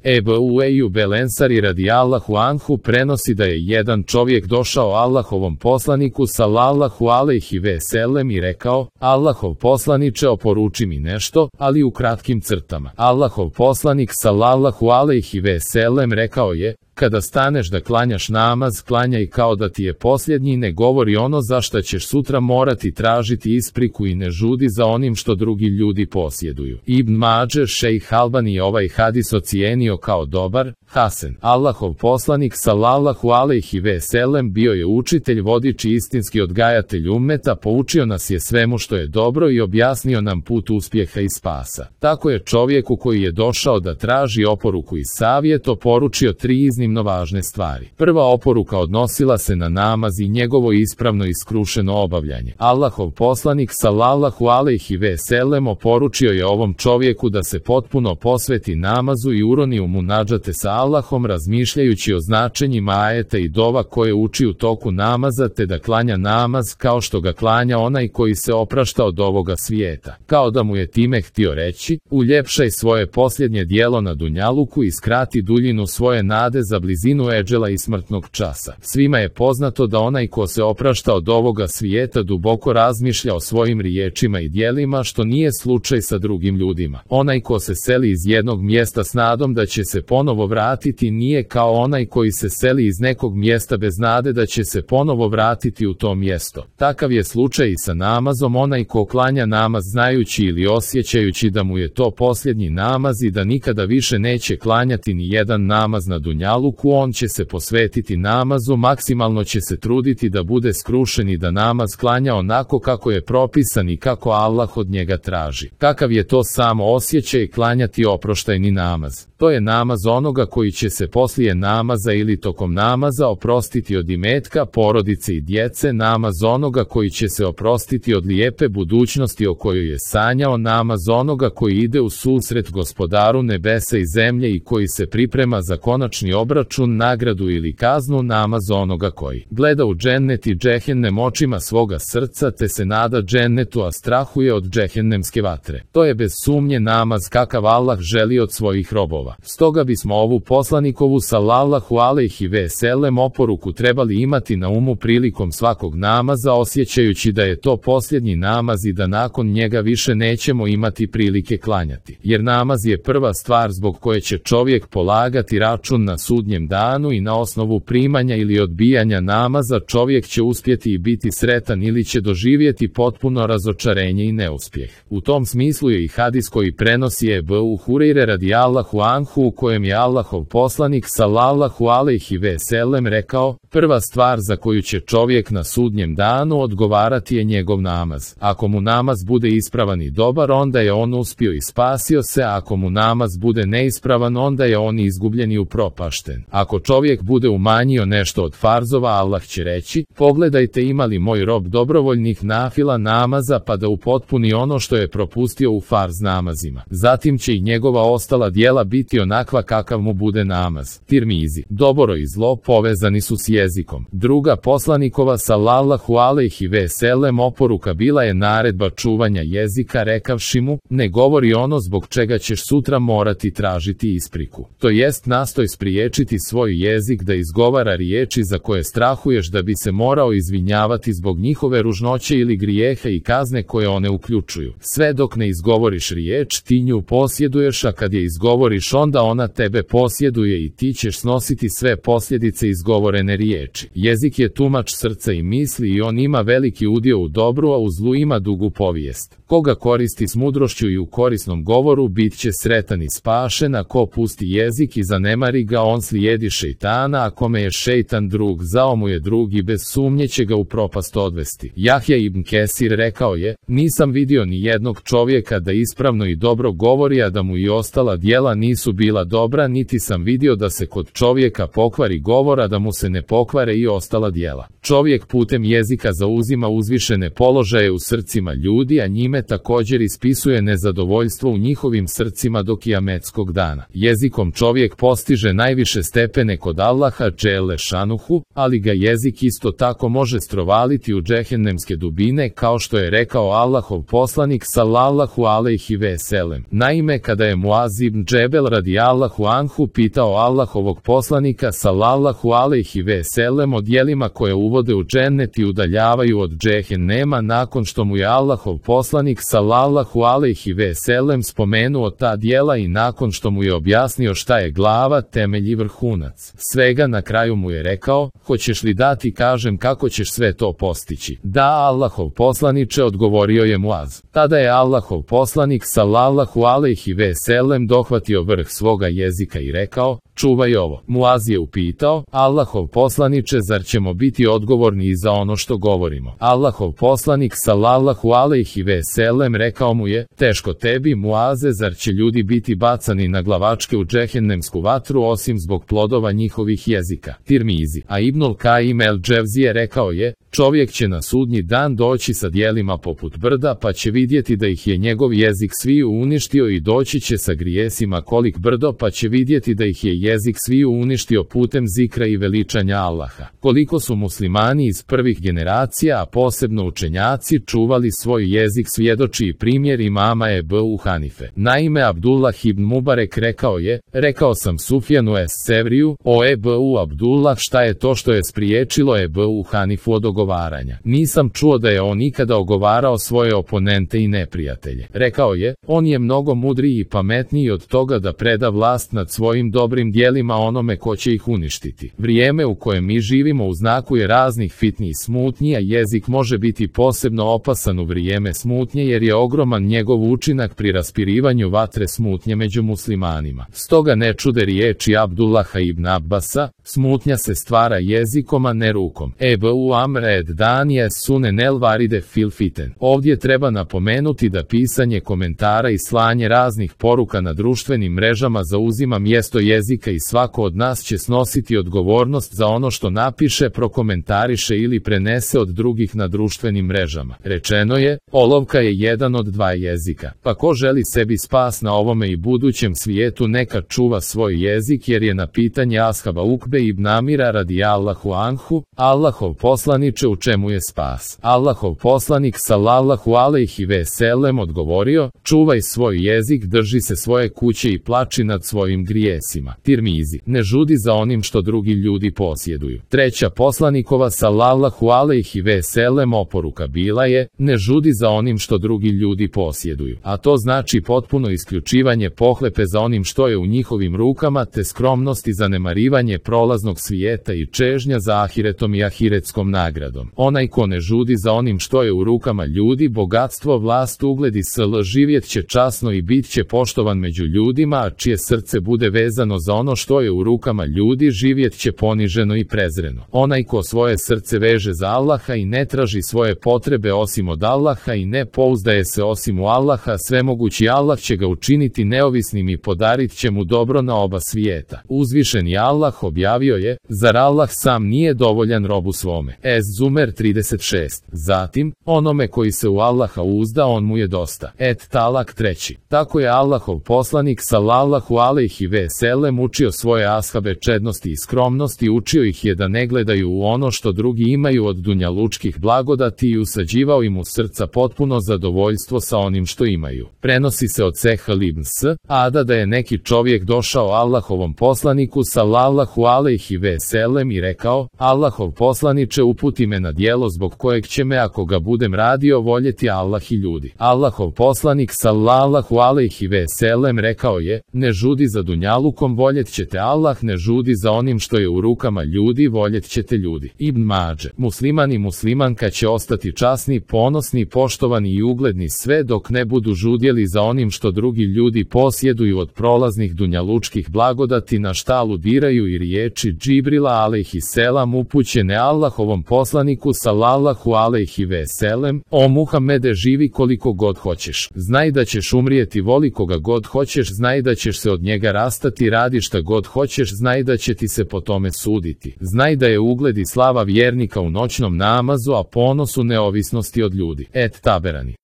Ebu Ejub el Ensari radijallahu anhu prenosi da je jedan čovjek došao Allahovom poslaniku sallallahu alejhi ve sellem i rekao: Allahov poslaniče, oporuči mi nešto, ali u kratkim crtama. Allahov poslanik sallallahu alejhi ve sellem rekao je: kada staneš da klanjaš namaz, klanjaj kao da ti je posljednji, ne govori ono za šta ćeš sutra morati tražiti ispriku i ne žudi za onim što drugi ljudi posjeduju. Ibn Mađer šejh Albani je ovaj hadis ocijenio kao dobar, hasen. Allahov poslanik sallallahu alejhi ve sellem bio je učitelj, vodič i istinski odgajatelj ummeta, poučio nas je svemu što je dobro i objasnio nam put uspjeha i spasa. Tako je čovjeku koji je došao da traži oporuku i savjet oporučio 3 iznimno važne stvari. Prva oporuka odnosila se na namaz i njegovo ispravno i skrušeno obavljanje. Allahov poslanik sallallahu alejhi ve sellem oporučio je ovom čovjeku da se potpuno posveti namazu i uroni u munadžate sa Allahom, razmišljajući o značenjima ajeta i dova koje uči u toku namaza, te da klanja namaz kao što ga klanja onaj koji se oprašta od ovoga svijeta. Kao da mu je time htio reći: uljepšaj svoje posljednje djelo na dunjaluku i skrati duljinu svoje nade za blizinu eđela i smrtnog časa. Svima je poznato da onaj ko se oprašta od ovoga svijeta duboko razmišlja o svojim riječima i djelima, što nije slučaj sa drugim ljudima. Onaj ko se seli iz jednog mjesta s nadom da će se ponovo vratiti nije kao onaj koji se seli iz nekog mjesta bez nade da će se ponovo vratiti u to mjesto. Takav je slučaj i sa namazom. Onaj ko klanja namaz znajući ili osjećajući da mu je to posljednji namaz i da nikada više neće klanjati ni jedan namaz na dunjaluku, on će se posvetiti namazu, maksimalno će se truditi da bude skrušen i da namaz klanja onako kako je propisan i kako Allah od njega traži. Kakav je to samo osjećaj klanjati oproštajni namaz? To je namaz onoga koji će se poslije namaza ili tokom namaza oprostiti od imetka, porodice i djece, namaz onoga koji će se oprostiti od lijepe budućnosti o kojoj je sanjao, namaz onoga koji ide u susret gospodaru nebesa i zemlje i koji se priprema za konačni obračun, nagradu ili kaznu, namaz onoga koji gleda u džennet i džehennem očima svoga srca te se nada džennetu, a strahuje od džehennemske vatre. To je bez sumnje namaz kakav Allah želi od svojih robova. Stoga bismo ovu poslanikovu sallallahu alejhi ve sellem oporuku trebali imati na umu prilikom svakog namaza, osjećajući da je to posljednji namaz i da nakon njega više nećemo imati prilike klanjati. Jer namaz je prva stvar zbog koje će čovjek polagati račun na sudnjem danu i na osnovu primanja ili odbijanja namaza čovjek će uspjeti i biti sretan ili će doživjeti potpuno razočarenje i neuspjeh. U tom smislu je i hadis koji prenosi Ebu Hurajre radijallahu anhu, u kojem je Allahov poslanik sallallahu alejhi ve sellem rekao: prva stvar za koju će čovjek na sudnjem danu odgovarati je njegov namaz. Ako mu namaz bude ispravan i dobar, onda je on uspio i spasio se, a ako mu namaz bude neispravan, onda je on izgubljen i upropašten. Ako čovjek bude umanjio nešto od farzova, Allah će reći: pogledajte ima li moj rob dobrovoljnih nafila namaza pa da upotpuni ono što je propustio u farz namazima. Zatim će i njegova ostala djela biti onakva kakav mu bude namaz. Tirmizi. Dobro i zlo povezani su s jezikom. Druga poslanikova sallallahu alejhi ve sellem oporuka bila je naredba čuvanja jezika, rekavši mu: ne govori ono zbog čega ćeš sutra morati tražiti ispriku. To jest, nastoj spriječiti svoj jezik da izgovara riječi za koje strahuješ da bi se morao izvinjavati zbog njihove ružnoće ili grijeha i kazne koje one uključuju. Sve dok ne izgovoriš riječ, ti nju posjeduješ, a kad je izgovoriš, onda ona tebe posjeduje i ti ćeš snositi sve posljedice izgovorene riječi. Jezik je tumač srca i misli i on ima veliki udio u dobru, a u zlu ima dugu povijest. Koga koristi s mudrošću i u korisnom govoru, bit će sretan i spašen, a ko pusti jezik i zanemari ga, on slijedi šejtana, a kome je šejtan drug, zao mu je drug i bez sumnje će ga u propast odvesti. Jahja ibn Kesir rekao je: nisam vidio ni jednog čovjeka da ispravno i dobro govori, a da mu i ostala djela nisu bila dobra, niti sam vidio da se kod čovjeka pokvari govor, a da mu se ne pokvare i ostala djela. Čovjek putem jezika zauzima uzvišene položaje u srcima ljudi, a njime također ispisuje nezadovoljstvo u njihovim srcima do kijametskog dana. Jezikom čovjek postiže najviše više stepene kod Allaha dželle šanuhu, ali ga jezik isto tako može strovaliti u džehennemske dubine, kao što je rekao Allahov poslanik sallallahu alejhi ve sellem. Naime, kada je Muaz ibn Džebel radijallahu anhu pitao Allahovog poslanika sallallahu alejhi ve sellem o djelima koje uvode u džennet i udaljavaju od džehennema, nakon što mu je Allahov poslanik sallallahu alejhi ve sellem spomenuo ta djela i nakon što mu je objasnio šta je glava, temelj i vrhunac svega, na kraju mu je rekao: hoćeš li da ti kažem kako ćeš sve to postići? Da, Allahov poslaniče, odgovorio je Muaz. Tada je Allahov poslanik sallallahu alejhi ve sellem dohvatio vrh svoga jezika i rekao: čuvaj ovo. Muaz je upitao: Allahov poslaniče, zar ćemo biti odgovorni i za ono što govorimo? Allahov poslanik sallallahu alejhi ve sellem rekao mu je: teško tebi, Muaze, zar će ljudi biti bacani na glavačke u džehennemsku vatru osim zbog plodova njihovih jezika? Tirmizi. A Ibnul Kaim el Dževzije rekao je: čovjek će na sudnji dan doći sa djelima poput brda, pa će vidjeti da ih je njegov jezik sviju uništio, i doći će sa grijesima kolik brdo, pa će vidjeti da ih je jezik sviju uništio putem zikra i veličanja Allaha. Koliko su muslimani iz prvih generacija, a posebno učenjaci, čuvali svoj jezik, svjedoči i primjer imama Ebu Hanife. Naime, Abdullah ibn Mubarek rekao je: rekao sam Sufjanu es-Sevriju: o Ebu Abdullah, šta je to što je spriječilo Ebu Hanifu od ogovaranja? Nisam čuo da je on ikada ogovarao svoje oponente i neprijatelje. Rekao je: on je mnogo mudriji i pametniji od toga da preda vlast nad svojim dobrim djelima onome ko će ih uništiti. Vrijeme u kojem mi živimo u znaku je raznih fitni i smutnji, a jezik može biti posebno opasan u vrijeme smutnje, jer je ogroman njegov učinak pri raspirivanju vatre smutnje među muslimanima. Stoga ne čude riječi Abdullaha ibn Abbasa: smutnja se stvara jezikom, a ne rukom. Ebu Amr ed Danije sunen el varide fil fiten. Ovdje treba napomenuti da pisanje komentara i slanje raznih poruka na društvenim mrežama zauzima mjesto jezika i svako od nas će snositi odgovornost za ono što napiše, prokomentariše ili prenese od drugih na društvenim mrežama. Rečeno je: olovka je jedan od dva jezika. Pa ko želi sebi spas na ovome i budućem svijetu, neka čuva svoj jezik, jer je na pitanje ashaba Ukbe ibn Amira radijallahu anhu: Allahov poslaniče, u čemu je spas? Allahov poslanik sallallahu alejhi ve sellem odgovorio: čuvaj svoj jezik, drži se svoje kuće i plači nad svojim grijesima. Tirmizi. Ne žudi za onim što drugi ljudi posjeduju. Treća poslanikova sallallahu alejhi ve sellem oporuka bila je: ne žudi za onim što drugi ljudi posjeduju. A to znači potpuno isključivanje pohlepe za onim što je u njihovim rukama, te skromnost i zanemarivanje prolaznog svijeta i čežnja za ahiretom i ahiretskom nagradom. Onaj ko ne žudi za onim što je u rukama ljudi, bogatstvo, vlast, ugled i sl, živjet će časno i bit će poštovan među ljudima, a čije srce bude vezano za ono što je u rukama ljudi, živjet će poniženo i prezreno. Onaj ko svoje srce veže za Allaha i ne traži svoje potrebe osim od Allaha i ne pouzdaje se osim u Allaha, svemogući Allah će ga učiniti neovisnim i podarit će mu dobro na oba svijeta. Uzvišeni Allah objavio je: zar Allah sam nije dovoljan robu svome? Ez-Zumer 36. Zatim, onome koji se u Allaha uzda, on mu je dosta. Et-Talak 3. Tako je Allahov poslanik sallallahu alejhi ve sellem učio svoje ashabe čednosti i skromnosti, učio ih je da ne gledaju u ono što drugi imaju od dunjalučkih blagodati i usađivao im u srca potpuno zadovoljstvo sa onim što imaju. Prenosi se od Sehl ibn Sa'ada da je neki čovjek došao Allahovom poslaniku sallallahu alejhi ve sellem i rekao: Allahov poslaniče, uputi me na djelo zbog kojeg će me, ako ga budem radio, voljeti Allah i ljudi. Allahov poslanik sallallahu alejhi ve sellem rekao je: ne žudi za dunjalukom, voljet ćete Allah, ne žudi za onim što je u rukama ljudi, voljet ćete ljudi. Ibn Mađe. Musliman i muslimanka će ostati časni, ponosni, poštovani i ugledni sve dok ne budu žudjeli za onim što drugi ljudi posjeduju od prolaznih dunjalučkih blagodati, na šta aludiraju i riječi Džibrila alejhi selam upućene Allahovom poslaniku sallallahu alejhi ve sellem: o Muhammede, živi koliko god hoćeš, znaj da ćeš umrijeti, voli koga god hoćeš, znaj da ćeš se od njega rastati, radi šta god hoćeš, znaj da će ti se po tome suditi, znaj da je ugled i slava vjernika u noćnom namazu, a ponos u neovisnosti od ljudi. Et-Taberani.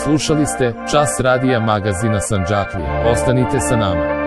Slušali ste Čas radija magazina Sandžaklija. Ostanite sa nama.